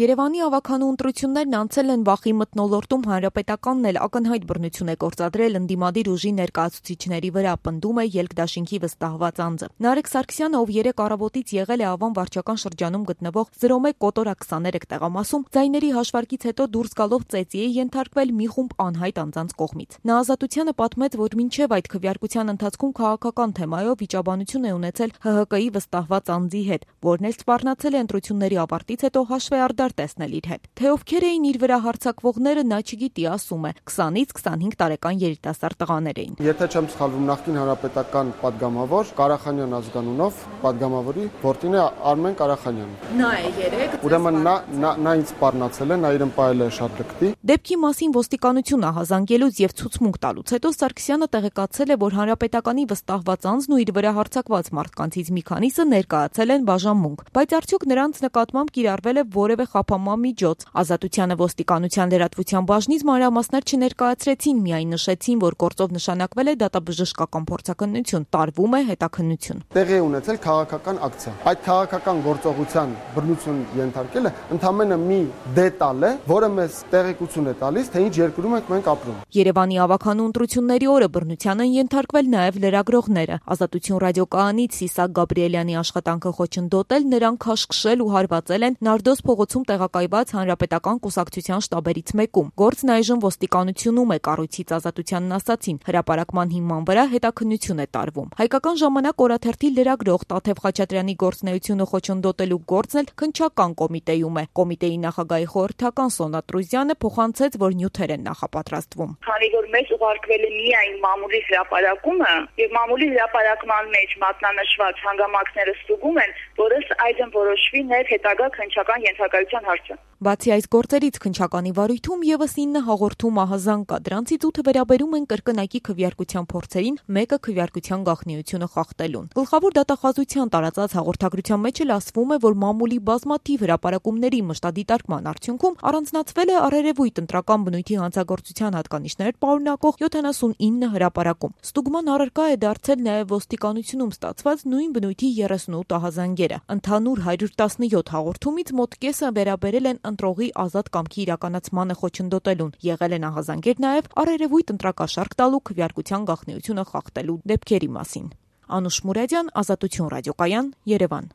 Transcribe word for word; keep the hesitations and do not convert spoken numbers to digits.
Երևանի ավագանու ընտրություններն անցել են վախի մթնոլորտում, հանրապետականն էլ ակնհայտ բռնություն է գործադրել ընդդիմադիր ուժի ներկայացուցիչների վրա, պնդում է ելքդաշինքի վստահված անձը։ Նարեկ Սարգսյանը, ով երեկ առավոտից եղել է Ավան վարչական շրջանում գտնվող զրո մեկ կոտորակ քսաներեք տեղամասում, ձայների հաշվարկից հետո դուրս գալով ծեծի է ենթարկվել մի խումբ անհայտ անձանց կողմից։ Նա Ազատությանը պատմեց, որ մինչև այդ քվեարկության ընթացքում քաղաքական թեմայով վիճաբանություն է ունեցել Հ Հ Կի վստահված անձի հետ, որն էլ սպառնացել է ընտրությունների ավարտից հետո հաշվեարդար տեսնել իր հետ։ Թե ովքեր էին իր վրա հարձակվողները, նա չգիտի, ասում է, քսանից քսանհինգ տարեկան երիտասարդ տղաներ էին։ Եթե չեմ սխալվում, նախկին հանրապետական падգամավոր Ղարախանյան ազգանունով падգամավորի որդին է Արմեն Ղարախանյանը։ Նա է երեք։ Ուրեմն նա նա ինձ սպառնացել է, նա իրեն պահել է շատ լկտի։ Դեպքի մասին ոստիկանությունը ահազանգելուց եւ ցուցմունք տալուց հետո Սարգսյանը տեղեկացել է, որ հանրապետականի վստահված անձն ու իր վրա հարձակված մարդկանցից մի քանիսը ներկայացել են բաժանմունք, բայց արդյոք նրանց նկատմամբ կիրառվել է որևէ խափանման միջոց։ Ազատությանը ոստիկանության լրատվության բաժնից մանրամասներ չներկայացրեցին, միայն նշեցին, որ գործով նշանակվել է դատաբժշկական փորձաքննություն, տարվում է հետաքննություն։ Տեղի է ունեցել քաղաքական ակցիա։ Այդ քաղաքական գործողության բռնություն ենթարկելը ընդամենը մի դետալ է, որը մեզ տեղեկություն է տալիս, թե ինչ երկրում ենք մենք ապրում։ Երևանի ավագանու ընտրությունների օրը բռնության են ենթարկվել նաև լրագրողները։ Ազատություն ռադիոկայանից Սիսակ Գաբրիելյանի աշխատանքը խոչընդոտել, նրան քաշքշել ու հարվածել են Նարդոս փողոցում տեղակայված հանրապետական կուսակցության շտաբերից մեկում։ Գործն այժմ ոստիկանությունում է, կառույցից Ազատությանն ասացին, հրապարակման հիման վրա հետաքննություն է տարվում։ Հայկական ժամանակ օրաթերթի լրագրող Տաթև Խաչատրյանի գործունեությունը խոչընդոտելու գործն էլ քննչական կոմիտեում է։ Կոմիտեի նախագահի խորհրդական Սոնա Տրուզյանը փոխանցեց, որ նյութեր են նախապատրաստվում։ Քանի որ մեզ ուղարկվել է միայն մամուլի հրապարակումը եւ մամուլի հրապարակման մեջ մատնանշված հանգամանքները ստուգում են, որ ըստ այդմ որոշվի ներ հետագա քննչական ենթակայության հարցը։ Բացի այս գործերից քննչականի վարույթում եւս ինը հաղորդում ահազանգ կա, դրանցից ութը վերաբերում են կրկնակի քվեարկության փորձերին, մեկը քվեարկության գաղտնիությունը խախտելուն։ Գլխավոր դատախազության տարածած հաղորդագրության մեջ էլ ասվում է, որ մամուլի բազմաթիվ հրապարակումների մշտադիտարկման արդյունքում առանձնացվել է առերևույթ ընտրական բնույթի հանցագործության հատկանիշներ պարունակող յոթանասունինը հրապարակում։ Ստուգման առարկա է դարձել նաև ոստիկանությունում ստացված նույն բնույթի երեսունութ ահազանգերը։ Ընդհանուր հարյուր տասնյոթ հաղորդումից մոտ կեսը վերաբերել են ընտրողի ազատ կամքի իրականացմանը խոչընդոտելուն։ Եղել են ահազանգեր նաև առերևույթ ընտրակաշառք տալու քվեարկության գաղտնիությունը խախտելու դեպքերի մասին։ Անուշ Մուրադյան, Ազատություն ռադիոկայան, Երևան։